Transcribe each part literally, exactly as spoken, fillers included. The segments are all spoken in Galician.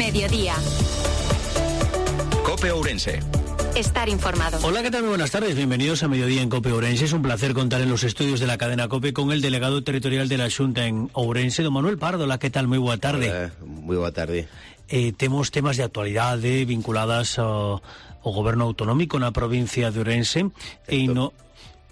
mediodía. COPE Ourense. Estar informado. Hola, ¿qué tal? Muy buenas tardes. Bienvenidos a Mediodía en COPE Ourense. Es un placer contar en los estudios de la cadena COPE con el delegado territorial de la Xunta en Ourense, don Manuel Pardo. Hola, ¿qué tal? Muy boa tarde. Hola, moi boa tarde. Eh, temos temas de actualidade vinculadas ao, ao goberno autonómico na provincia de Ourense e no,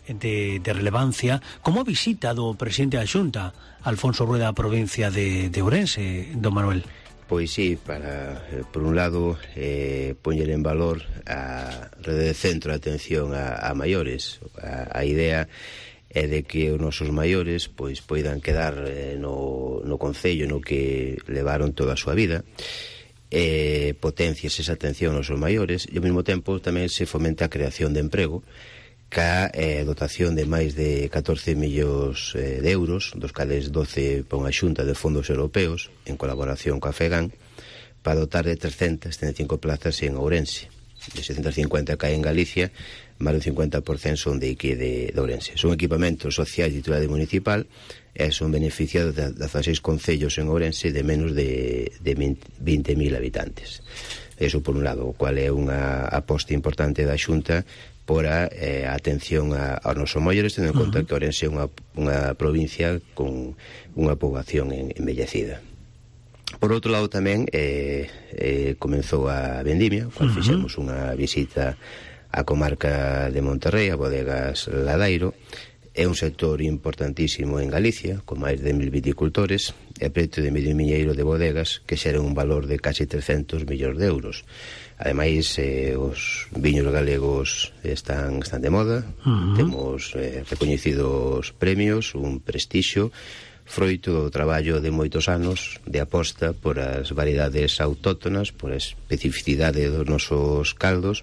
de, de relevancia, como a visita do presidente da Xunta, Alfonso Rueda, a provincia de, de Ourense, don Manuel. Pois sí, para, eh, por un lado, eh, poñer en valor a rede de centro de atención a, a maiores. A, a idea é de que os nosos maiores pois poidan quedar eh, no, no concello no que levaron toda a súa vida, eh, potencias esa atención aos nosos maiores e ao mesmo tempo tamén se fomenta a creación de emprego ca eh, dotación de máis de catorce millóns eh, de euros, dos cales doce para unha xunta de fondos europeos en colaboración coa FEGAN, para dotar de trescentas setenta e cinco plazas en Ourense. De seiscentas cincuenta que hai en Galicia, máis do cincuenta por cento son de aquí de, de Ourense. Son equipamentos sociais de titularidade municipal e son beneficiados de dezaseis concellos en Ourense de menos de, de vinte mil habitantes. Eso por un lado, o cual é unha aposta importante da Xunta por a eh, atención a, aos nosos maiores, tendo en conta uh-huh. que Ourense é unha, unha provincia con unha poboación en, envellecida. Por outro lado tamén eh, eh, comenzou a vendimia, cual uh-huh. fixemos unha visita á comarca de Monterrey, a bodegas Ladairo. É un sector importantísimo en Galicia, con máis de mil viticultores e preto de medio miñeiro de bodegas que xeran un valor de casi trescentos millóns de euros. Ademais, eh, os viños galegos están, están de moda, uh-huh. temos eh, recoñecidos premios, un prestixio, froito do traballo de moitos anos de aposta por as variedades autóctonas, por a especificidade dos nosos caldos,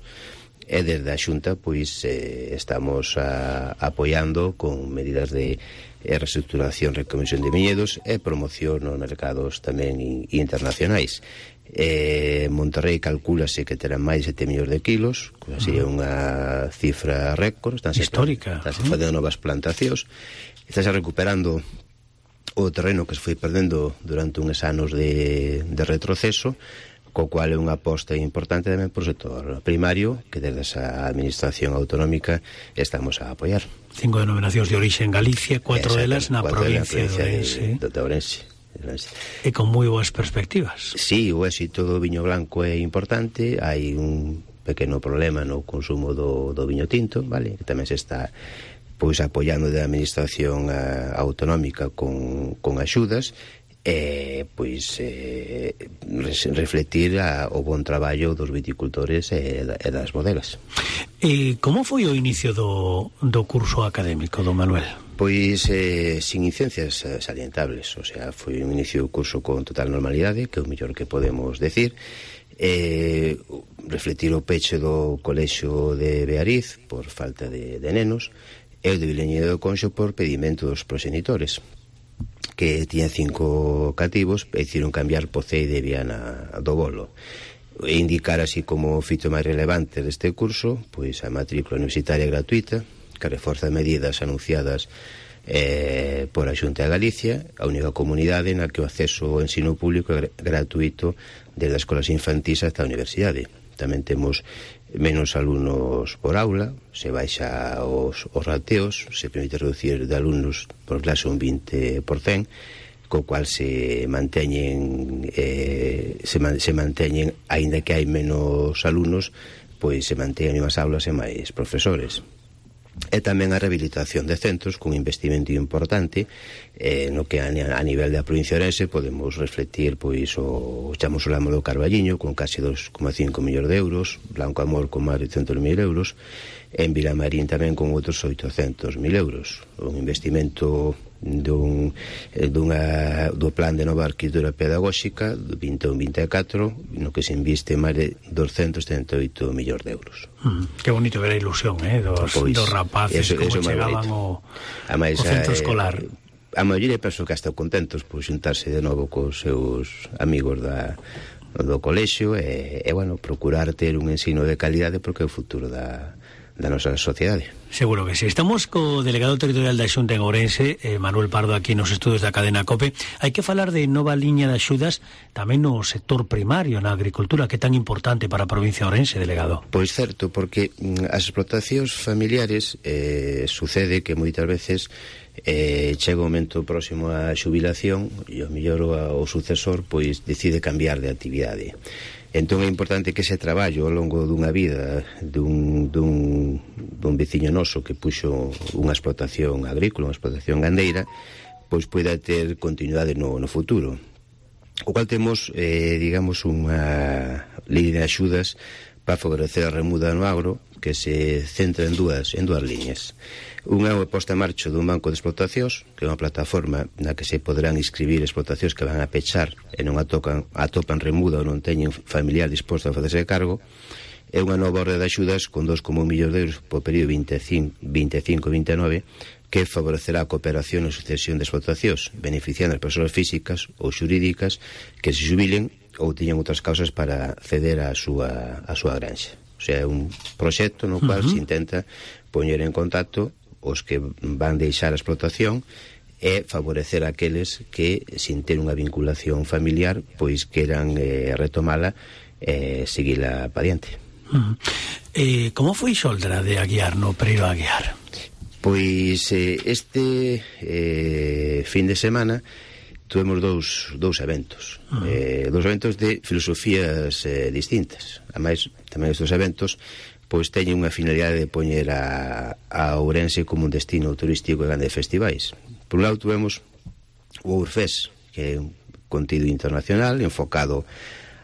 e desde a Xunta pois eh, estamos a, apoiando con medidas de eh, reestructuración, recomisión de viñedos e promoción nos mercados tamén in, internacionais. Eh, Monterrey calcúlase que terá máis de sete millóns de kilos, que sería unha cifra récord, estánse histórica, estánse facendo novas plantacións, estánse recuperando o terreno que se foi perdendo durante uns anos de, de retroceso, co cual é unha aposta importante tamén por o sector primario que desde esa administración autonómica estamos a apoiar. Cinco denominacións de orixe en Galicia, cuatro delas na provincia de Ourense. De, de Ourense. E con moi boas perspectivas. Sí, o éxito do viño blanco é importante. Hai un pequeno problema no consumo do, do viño tinto, vale, que tamén se está pois apoiando da administración a, autonómica con, con axudas e pois eh, refletir a, o bon traballo dos viticultores e, e das bodegas. E como foi o inicio do, do curso académico, don Manuel? Pois eh, sin incidencias salientables, o sea, foi un inicio do curso con total normalidade, que é o mellor que podemos decir. Eh, refletir o peche do colexio de Beariz por falta de, de nenos e o de Vilañedo do Conxo por pedimento dos proxenitores, que tiñan cinco cativos e hicieron cambiar Pocei de Viana do Bolo. E indicar así como fito máis relevante deste curso, pois a matrícula universitaria gratuita, que reforza medidas anunciadas eh, por a Xunta de Galicia, a única comunidade na que o acceso ao ensino público é gratuito desde as escolas infantís hasta a universidade. Tamén temos menos alumnos por aula, se baixa os, os rateos, se permite reducir de alumnos por clase un vinte por cento, co cual se manteñen eh, se, man, se manteñen, aínda que hai menos alumnos, pois se manteñen as aulas e máis profesores. E tamén a rehabilitación de centros con investimento importante eh, no que a, a nivel da provincia de Ourense podemos refletir pois o chamamos o Lamo do Carballiño con casi dos coma cinco millóns de euros, Blanco Amor con máis de cento mil euros, en Vilamarín tamén con outros oitocentos mil euros, un investimento dun, dunha, do plan de nova arquitectura pedagóxica do vinte e un vinte e catro, no que se inviste máis de doscientos setenta e oito millóns de euros. Mm, que bonito ver a ilusión, eh, dos, pois, dos rapaces eso, como eso chegaban ao, Amais, ao centro eh, escolar. A maioría penso que están contentos por xuntarse de novo cos seus amigos da, do colexio e, e bueno, procurar ter un ensino de calidade porque é o futuro da da nosa sociedade. Seguro que sí. Estamos co delegado territorial da Xunta en Ourense, eh, Manuel Pardo, aquí nos estudos da cadena COPE. Hai que falar de nova liña de axudas tamén no sector primario, na agricultura, que é tan importante para a provincia de Ourense, delegado. Pois certo, porque as explotacións familiares eh, sucede que moitas veces eh, chega o momento próximo á xubilación e ao mellor o sucesor pois decide cambiar de actividade. Entón é importante que ese traballo ao longo dunha vida dun, dun, dun veciño noso que puxo unha explotación agrícola, unha explotación gandeira, pois poida ter continuidade no, no futuro. O cual temos, eh, digamos, unha línea de axudas para favorecer a remuda no agro que se centra en dúas, en dúas líneas. Unha é a posta en marcha dun banco de explotacións, que é unha plataforma na que se poderán inscribir explotacións que van a pechar e non atopan, atopan remuda ou non teñen familiar disposto a facerse cargo. É unha nova orde de axudas con dos coma un millón de euros por período veinticinco a veintinueve que favorecerá a cooperación e sucesión de explotacións, beneficiando as persoas físicas ou xurídicas que se xubilen ou tiñan outras causas para ceder a súa, a súa granxa. O sea, é un proxecto no cual uh -huh. se intenta poñer en contacto os que van deixar a explotación e favorecer aqueles que, sin ter unha vinculación familiar, pois queran eh, retomala e eh, seguila pa diante. Uh -huh. eh, como foi Xoldra de Aguiar no Pereiro Aguiar? Pois eh, este eh, fin de semana tuvemos dous, dous eventos. Uh -huh. eh, dous eventos de filosofías eh, distintas. Ademais, tamén estes eventos pois teñen unha finalidade de poñer a, a Ourense como un destino turístico e grande de festivais. Por un lado tuvemos o Ourfest, que é un contido internacional enfocado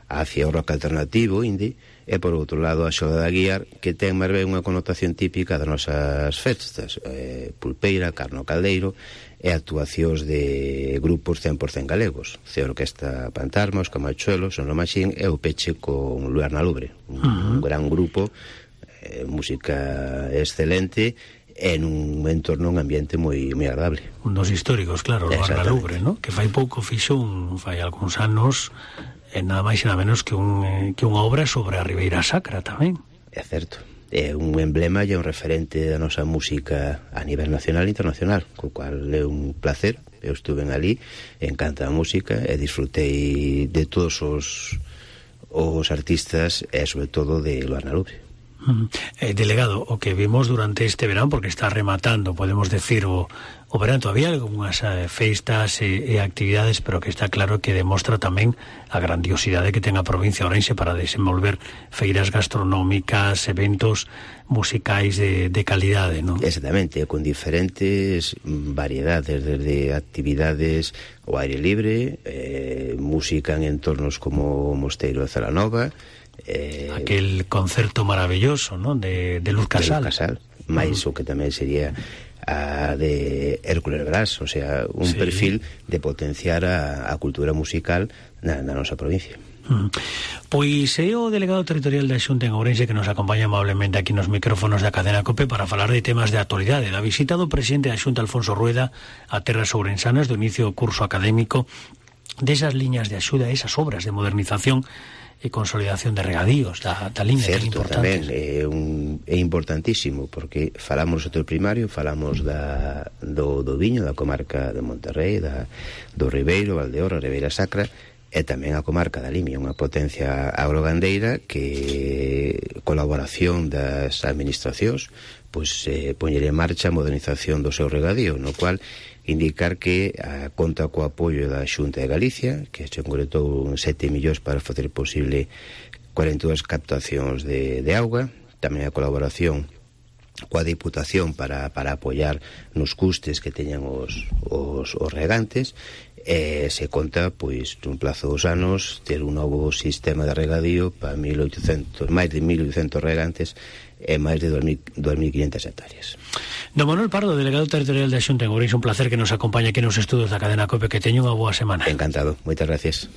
hacia o rock alternativo, indie, e por outro lado a Xoda de Aguiar, que ten máis ben unha connotación típica das nosas festas, eh, pulpeira, carno caldeiro e actuacións de grupos cen por cen galegos, C Orquesta Pantarma, os Camachuelos, Son Machín e o peche con Luar na Lubre, un, uh -huh. un gran grupo, eh, música excelente en un entorno, un ambiente moi moi agradable. Un dos históricos, claro, Luar na Lubre, ¿no? Que fai pouco fixo un, fai algúns anos, e nada máis e nada menos que, un, eh, que unha obra sobre a Ribeira Sacra tamén. É certo. É un emblema e un referente da nosa música a nivel nacional e internacional, co cual é un placer. Eu estuve ali, encanta a música e disfrutei de todos os, os artistas e sobre todo de Luar na Lubre. Uh, eh, delegado, o que vimos durante este verano, porque está rematando, podemos decir, o, o verano todavía algunhas eh, festas e, e actividades, pero que está claro que demostra tamén a grandiosidade que ten a provincia de Ourense para desenvolver feiras gastronómicas, eventos musicais de, de calidade, non? Exactamente, con diferentes variedades, desde actividades ao aire libre, eh, música en entornos como o Mosteiro de Celanova, Eh, aquel concerto maravilloso, ¿no? de, de Luz Casal, de Luz Casal. máis uh -huh. o que tamén sería a de Hércules Brás, o sea, un sí. perfil de potenciar a, a cultura musical na, na nosa provincia. Uh -huh. Pois é o delegado territorial da Xunta en Ourense que nos acompaña amablemente aquí nos micrófonos da cadena COPE para falar de temas de actualidade. Da visita do presidente da Xunta, Alfonso Rueda, a terras ourensanas do inicio do curso académico desas liñas de axuda, esas obras de modernización e consolidación de regadíos da, da liña. Certo, tamén é, un, é importantísimo porque falamos do sector primario, falamos da, do, do viño, da comarca de Monterrey, da, do Ribeiro, Valdeorra, Ribeira Sacra e tamén a comarca da Limia, unha potencia agrogandeira que colaboración das administracións pois eh, poñer en marcha a modernización do seu regadío, no cual indicar que a, conta co apoio da Xunta de Galicia, que se concretou sete millóns para facer posible cuarenta e dúas captacións de, de auga, tamén a colaboración coa Diputación para, para apoiar nos custes que teñan os, os, os regantes, e se conta, pois, nun plazo dos anos, ter un novo sistema de regadío para mil oitocentos, máis de mil oitocentos regantes e máis de dous mil quinhentas hectáreas. Don Manuel Pardo, delegado territorial da Xunta en Ourense, un placer que nos acompañe aquí nos estudos da cadena COPE, que teña unha boa semana. Encantado, moitas gracias.